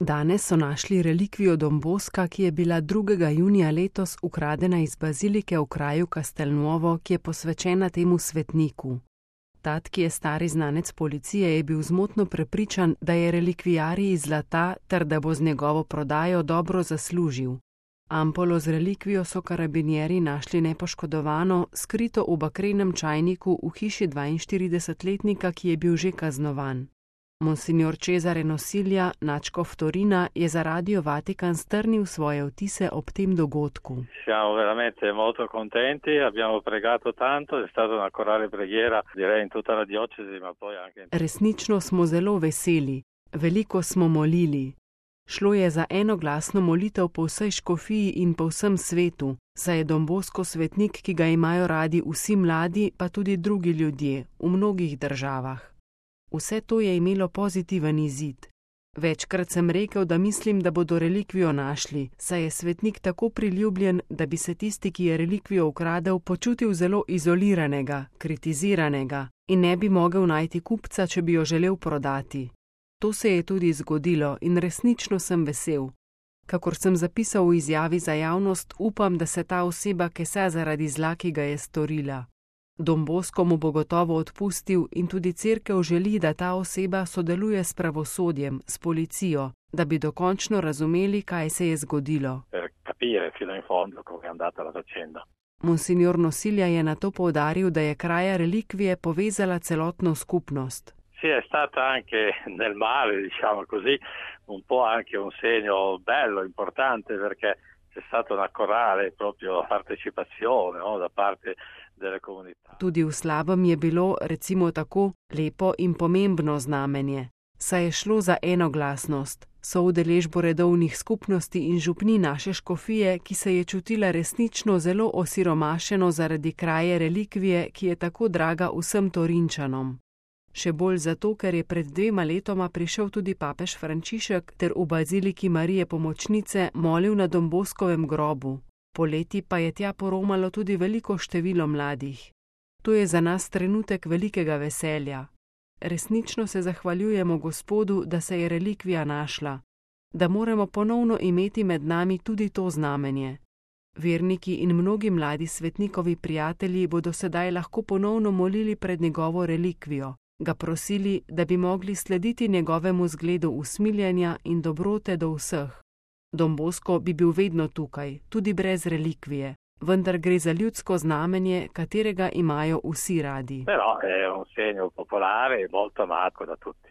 Danes so našli relikvijo Don Bosca, ki je bila 2. junija letos ukradena iz bazilike v kraju Castelnuovo, ki je posvečena temu svetniku. Tat, ki je stari znanec policije, je bil zmotno prepričan, da je relikvijarij iz zlata ter da bo z njegovo prodajo dobro zaslužil. Ampolo z relikvijo so karabinjeri našli nepoškodovano, skrito v bakrenem čajniku v hiši 42-letnika, ki je bil že kaznovan. Monsignor Cesare Nosilja, nadškof Torina, je za Radio Vatikan strnil svoje vtise ob tem dogodku. Siamo veramente molto contenti, abbiamo pregato tanto, è stata una corale preghiera, direi in tutta la diocesi, ma poi anche... Resnično smo zelo veseli, veliko smo molili. Šlo je za enoglasno molitev po vsej škofiji in po vsem svetu, saj je Don Bosco svetnik, ki ga imajo radi vsi mladi, pa tudi drugi ljudje, v mnogih državah. Vse to je imelo pozitiven izid. Večkrat sem rekel, da mislim, da bodo relikvijo našli, saj je svetnik tako priljubljen, da bi se tisti, ki je relikvijo ukradel, počutil zelo izoliranega, kritiziranega in ne bi mogel najti kupca, če bi jo želel prodati. To se je tudi zgodilo in resnično sem vesel. Kakor sem zapisal v izjavi za javnost, upam, da se ta oseba kesa zaradi zla, ki ga je storila. Don Bosco mu bo gotovo odpustil in tudi cerkev želi, da ta oseba sodeluje s pravosodjem, s policijo, da bi dokončno razumeli, kaj se je zgodilo. Monsignor Nosilja je nato poudaril, da je kraja relikvije povezala celotno skupnost. Sì, è stata anche nel male, diciamo così, un po' anche un segno bello, importante, perché c'è stata una corale proprio partecipazione, no, da parte delle comunità. Tudi v slabem je bilo, recimo tako, lepo in pomembno znamenje, saj je šlo za enoglasnost, soudeležbo redovnih skupnosti in župni naše škofije, ki se je čutila resnično zelo osiromašeno zaradi kraje relikvije, ki je tako draga vsem Torinčanom. Še bolj zato, ker je pred 2 letoma prišel tudi papež Frančišek ter v baziliki Marije Pomočnice molil na Don Boscovem grobu. Poleti pa je tja poromalo tudi veliko število mladih. To je za nas trenutek velikega veselja. Resnično se zahvaljujemo Gospodu, da se je relikvija našla, da moramo ponovno imeti med nami tudi to znamenje. Verniki in mnogi mladi svetnikovi prijatelji bodo sedaj lahko ponovno molili pred njegovo relikvijo, ga prosili, da bi mogli slediti njegovemu zgledu usmiljenja in dobrote do vseh. Don Bosco bi bil vedno tukaj, tudi brez relikvije, vendar gre za ljudsko znamenje, katerega imajo vsi radi. Però è un segno popolare molto amato da tutti.